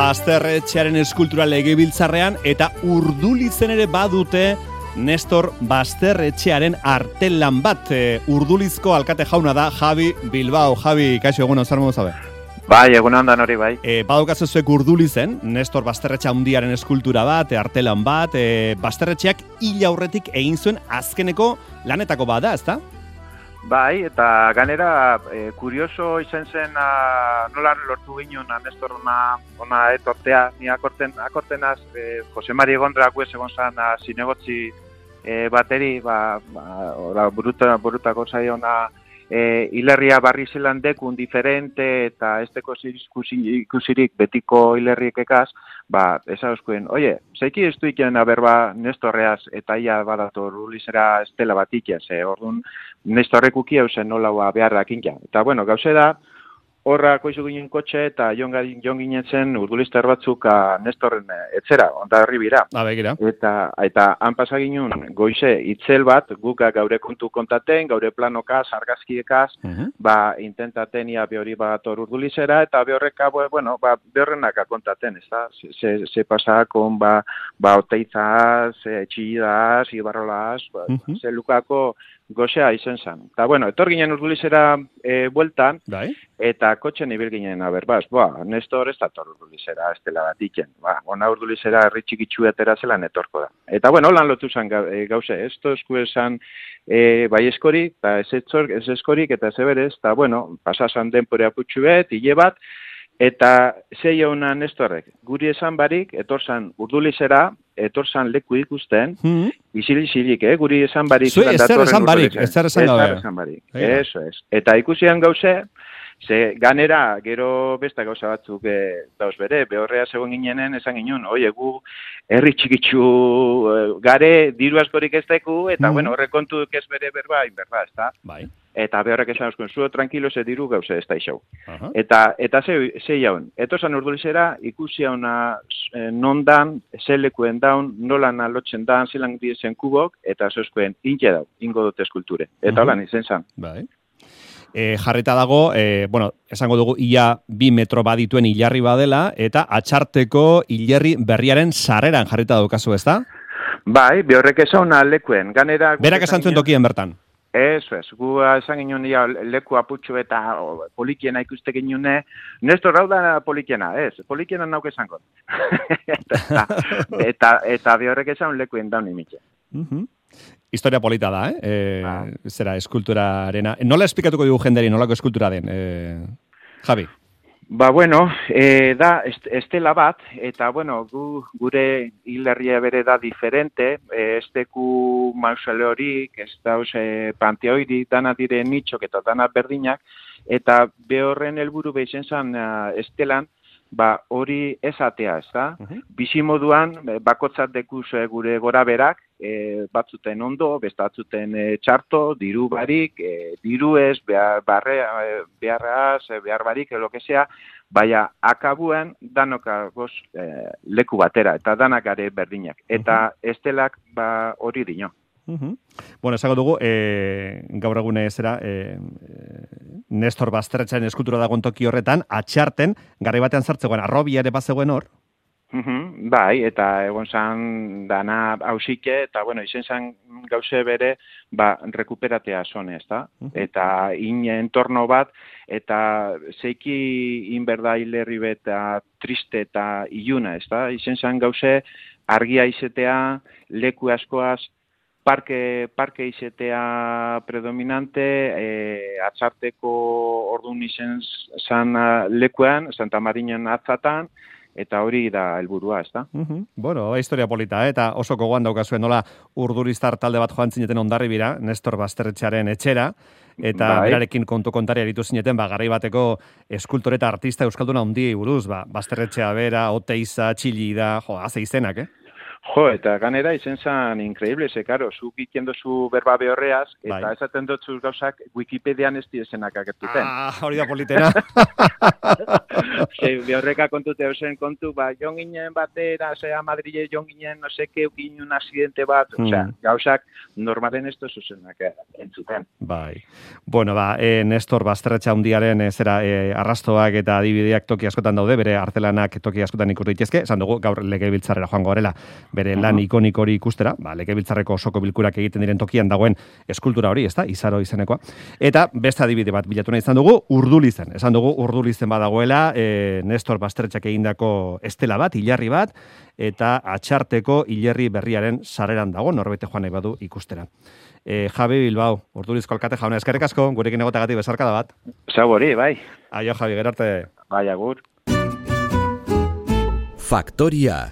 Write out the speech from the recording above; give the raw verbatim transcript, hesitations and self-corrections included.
Basterretxearen eskultura legebiltzarrean eta Urdulizen ere badute Nestor Basterretxearen artelan bat. E, Urdulizko alkate jauna da Javi Bilbao. Javi, kaixo egun zer modu zabe? Bai, egun handan hori bai. E, Badaukazu zuek Urdulizen, Nestor Basterretxe handiaren eskultura bat, e, artelan bat, e, Basterretxeak hil aurretik egin zuen azkeneko lanetako bada, ezta? Bai, eta ganera e, kurioso izan zen a, nola lortu ginen a Nestor ona, ona etortea, ni akorten, akortenaz e, Jose Mari Egondra guez egon zan a, zinegotzi e, bateri, ba, ba, ora, buruta, burutako zaiona e, hilerria barri zelan dekun diferente eta esteko ikusirik betiko hilerriek ekaz, ba, esauzkuen, oie, zeiki ez duikenen aberba Nestorreaz eta ia badato Urdulitzera estela bat ikiaz, e, orduan Nestorrek ukia usen nola beharrak inka. Eta, bueno, gauze da, horra koizu ginen kotxe eta jon ginen zen Urdulizter batzuk a Nestorren etzera, onda herri bira. Abegira. Eta, eta han pasa ginen goize itzel bat, guk gaure kontu kontaten, gaure planokaz, argazkiekaz, uh-huh. ba, intentaten ia behori bat Urdulizera, eta behorreka, bueno, ba, behorrenaka kontaten, ez da? Ze, ze pasakon, ba, ba, oteizaz, txillidaz, ibarrolaz, ba, uh-huh. ze lukako gozea izen zen. Eta, bueno, etor ginen Urdulizera e, bueltan, Dai. Eta kotxen ibil ginen aberbaz, boa, Nestor ez da Urdulizera estela bat iken. Ba, ona Urdulizera herri txikitsu etera zelan etorko da. Eta, bueno, holan lotu zen gauze, ez tozku esan e, bai eskorik, eta ez, ez eskorik, eta ez eberez, eta, bueno, pasasan denporea putxu bet, hile bat, eta zei hona Nestorrek, guri esan barik, etorzan Urdulizera, etorzan leku ikusten, mm-hmm. isilik-isilik, eh? Guri esan barik. Zui, ez zer esan barik, ez zer esan gabe. Ez zer esan barik, eso es. Eta ikusian gauze, ze ganera, gero besta gauza batzuk e, dauz bere, behorrea zegoen ginenen, esan ginen, oie, gu herri txikitsu e, gare, diru askorik ez deku, eta mm-hmm. bueno, horre kontu ez bere berba, inberba, ez da? Bai. Eta behorrek esan euskun, zuo tranquilo ze diru gauze ez da isau. Uh-huh. Eta, eta ze, ze jaun, etozan Urdulizera ikusi hauna e, non dan, ze lekuen daun, nolan alotzen dan, zelan diesen kubok, eta zeuskuen inke dau, ingo dute eskulture. Eta uh-huh. holan izen zan. Bai. E, jarrita dago, e, bueno, esango dugu ia bi metro badituen hilarri badela, eta atxarteko hilerri berriaren sarreran jarrita daukazu, ez da? Bai, behorrek esan lekuen. Ganera, berak esan zuen tokien bertan. Eso es, gu esan ginen ya leku aputxo eta o, polikiena ikuste ginen, Nestor hau da polikiena, ez, polikiena nauk esango. eta, eta, eta behorrek esan lekuen daun imitxe. Uh-huh. Historia polita da, eh? E, ah. Zera, eskulturarena. Nola esplikatuko dugu jenderi, nolako eskultura den, e, Javi? Ba, bueno, e, da estela bat, eta, bueno, gu, gure hilerria bere da diferente, e, esteku mausoleorik, ez dauz e, panteoirik, dana dire nitxok eta dana berdinak, eta behorren helburu behizen zan uh, estelan, ba, hori esatea, ez da? Uh-huh. Bizimoduan, bakotzat dekuz gure gora berak, e, batzuten ondo, bestatzuten e, txarto, diru barik, e, diru ez, behar, barre, beharraz, behar barik, lo que sea, baina akabuan danokagoz e, leku batera, eta danak gare berdinak. Eta uh-huh. estelak ba, hori dino. Uh-huh. Bueno, esango dugu, e, gaur egune zera, e, Nestor Basterretxearen eskultura dagoen toki horretan, atxarten, garri batean zartzegoen, arrobia ere bazegoen hor? Uh-huh. Bai, eta egon zan dana hausike, eta bueno, izen zan gauze bere, ba, rekuperatea zone, ez da? Uh-huh. Eta in entorno bat, eta zeiki inberda hilerri beta triste eta iluna, ez da? Izen zan gauze argia izetea, leku askoaz, Parke, parke izetea predominante, e, atxarteko ordun izen zan lekuan, Santa Marinan atzatan, eta hori da helburua, ez da? Uh-huh. Bueno, historia polita, eh? Eta oso gogoan daukazuen nola Urdulitzar talde bat joan zineten ondarri bira, Nestor Basterretxearen etxera, eta bai. Berarekin kontu kontari aritu zineten, ba, garai bateko eskultore eta artista euskalduna handiei buruz, ba, Basterretxea bera, Oteiza, Txillida, jo, haze izenak, eh? Jo, eta ganera izen zan increíble, ze, karo, zuk ikien dozu berba behorreaz, eta bai. Esaten dutzu gauzak Wikipedian ez dizenak agertuten. Ah, hori da politena. Ze, behorreka kontute eusen kontu, ba, jon ginen batera, zea Madrile jon ginen, no seke, ukin un accidente bat, hmm. osea, gauzak normalen ez dozuzenak entzuten. Bai. Bueno, ba, e, Nestor Basterretxa hundiaren e, zera, e, arrastoak eta adibideak toki askotan daude, bere artelanak toki askotan ikus daitezke, esan dugu gaur legebiltzarrera joango garela, bere lan uh-huh. ikonik hori ikustera, ba, legebiltzarreko osoko bilkurak egiten diren tokian dagoen eskultura hori, ezta, Izaro izenekoa. Eta beste adibide bat bilatu nahi izan dugu, Urdulizen. Esan dugu Urdulizen badagoela, e, Nestor Basterretxak egindako estela bat, hilarri bat, eta atxarteko hilerri berriaren sarreran dago, norbete joan nahi badu ikustera. E, Javi Bilbao, Urdulizko alkate jauna, eskerrik asko, gurekin egotagatik bezarkada bat. Zau hori, bai. Aio, Javi, gerarte. Bai, agur. Faktoria.